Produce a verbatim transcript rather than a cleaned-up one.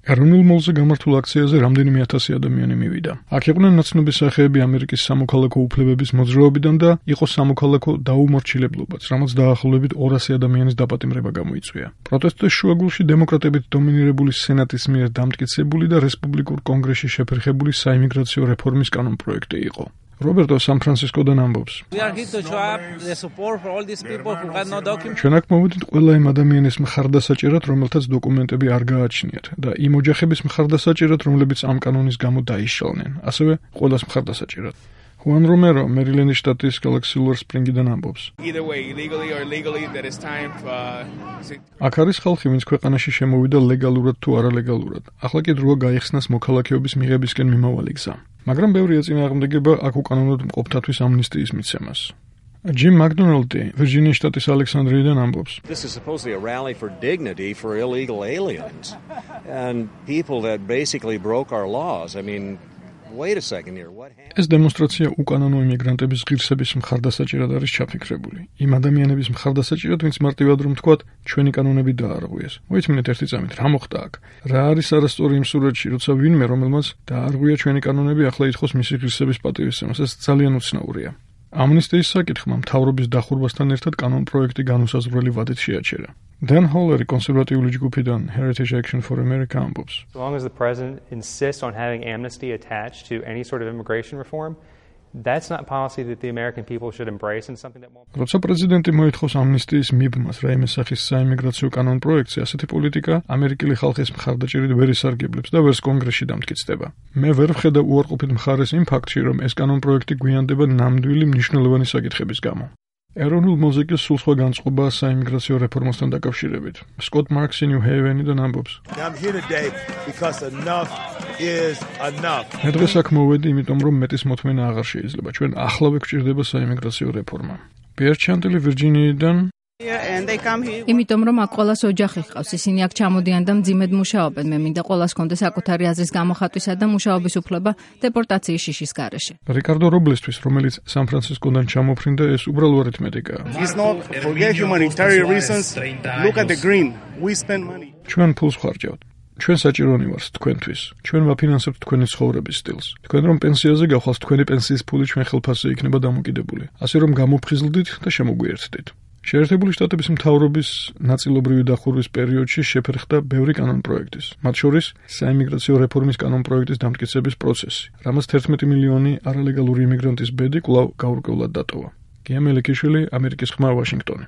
ეროვნულ მოლზე გამართულ აქციაზე რამდენიმე ათასი ადამიანი მივიდა. აქ იყვნენ ნაცნობი სახეები ამერიკის სამოქალაქო უფლებების მოძრაობიდან და იყო სამოქალაქო დაუმორჩილებლობაც, რამაც დაახლოებით ორასი ადამიანის დაპატიმრება გამოიწვია. პროტესტის შუაგულში დემოკრატებით დომინირებული სენატის მიერ დამტკიცებული და რესპუბლიკურ კონგრესში შეფერხებული საიმიგრაციო რეფორმის კანონპროექტი იყო. რობერტო სან-ფრანცისკოდან ამბობს. ჩვენ აქ მოვედით ყველა იმ ადამიანის მხარდასაჭერად, რომელთაც დოკუმენტები არ გააჩნიათ და იმ ოჯახების მხარდასაჭერად, რომლებიც ამ კანონის გამო დაიშალნენ, ასევე ყველას მხარდასაჭერად. ხუან რომერო, მერილენდის შტატის გალაქსი-ლუარ სპრინგიდან ამბობს. აქ არის ხალხი, ვინც ქვეყანაში შემოვიდა ლეგალურად თუ არალეგალურად. ახლა კი დროა გაიხსნას მოქალაქეობის მიღებისკენ მიმავალი გზა. მაგრამ ბევრი ეწინააღმდეგება აქ უკანონოდ მყოფთათვის ამნისტიის მიცემას. ჯიმ მაკდონალდი, ვირჯინიის შტატის ალექსანდრიიდან ამბობს. This is supposedly a rally for dignity for illegal aliens and people that basically broke our laws. I mean, wait a second here. What happened? ეს დემონსტრაცია უკანონო იმიგრანტების ღირსების მხარდასაჭერად არის ჩაფიქრებული. იმ ადამიანების მხარდასაჭერად, ვინც მარტივად რომ თქვათ, ჩვენი კანონები დაარღვიეს. მოიწმინეთ ერთი წამით, რა მოხდა აქ? რა არის არასწორი იმ სურათში, როცა ვინმე, რომელმაც დაარღვია ჩვენი კანონები, ახლა ითხოვს მისი ღირსების პატივისცემას? ეს ძალიან უცნაურია. ამნისტიის საკითხმა მთავრობის დახურვასთან ერთად კანონპროექტი განუსაზღვრელი ვადით შეაჩერა. დან ჰოლერი კონსერვატიული ჯგუფიდან Heritage Action for America ამბობს. So long as the president insists on having amnesty attached to any sort of immigration reform, that's not policy that the American people should embrace and something that won't. როცა პრეზიდენტი მოითხოვს ამნისტიის მიბმას რაიმე სახის საიმიგრაციო კანონპროექტზე, ასეთი პოლიტიკა ამერიკელი ხალხის მხარდაჭერით ვერ ისარგებლებს და ვერც კონგრესში დამტკიცდება. მე ვერ ვხედავ უარყოფით მხარეს იმ ფაქტში, რომ ეს კანონპროექტი გვიანდება ნამდვილი მნიშვნელოვანი საკითხების გამო. ეროვნულ მოზიკას სულ სხვა განწყობაა საიმიგრაციო რეფორმასთან დაკავშირებით. სკოტ მარქსი ნიუ-ჰეივენიდან ამბობს. მე დღეს აქ მოვედი, იმიტომ რომ მეტის მოთმენა აღარ შეიძლება. ჩვენ ახლავე გვჭირდება საიმიგრაციო რეფორმა. პიერ ჩანტელი ვირჯინიიდან. იმიტომ რომ აქ ყველას ოჯახი ჰყავს, ისინი აქ ჩამოდიან და მძიმედ მუშაობენ. მე მინდა ყველას კონდეს საკუთარი აზრის გამოხატვისა და მუშაობის უფლება დეპორტაციის შიშის გარეშე. რიკარდო რობლესთვის, რომელიც სან-ფრანცისკოდან ჩამოფრინდა, ეს უბრალო არითმეტიკაა. ჩვენ ფულს ვხარჯავთ. ჩვენ საჭიროანი ვართ თქვენთვის. ჩვენ ვაფინანსებთ თქვენი ცხოვრების სტილს. თქვენ რომ პენსიაზე გავხვალთ, თქვენი პენსიის ფული ჩვენ ხელფასზე იქნება დამოკიდებული. ასე რომ გამოფხიზლდით და შემოგვიერთდით. შეერთებული შტატების მთავრობის ნაწილობრივი დახურვის პერიოდში შეფერხდა ბევრი კანონპროექტის, მათ შორის საიმიგრაციო რეფორმის კანონპროექტის დამტკიცების პროცესი, რამაც თერთმეტი მილიონი არალეგალური იმიგრანტის ბედი კვლავ გაურკვევლად დატოვა. გია მელიქიშვილი, ამერიკის ხმა, ვაშინგტონი.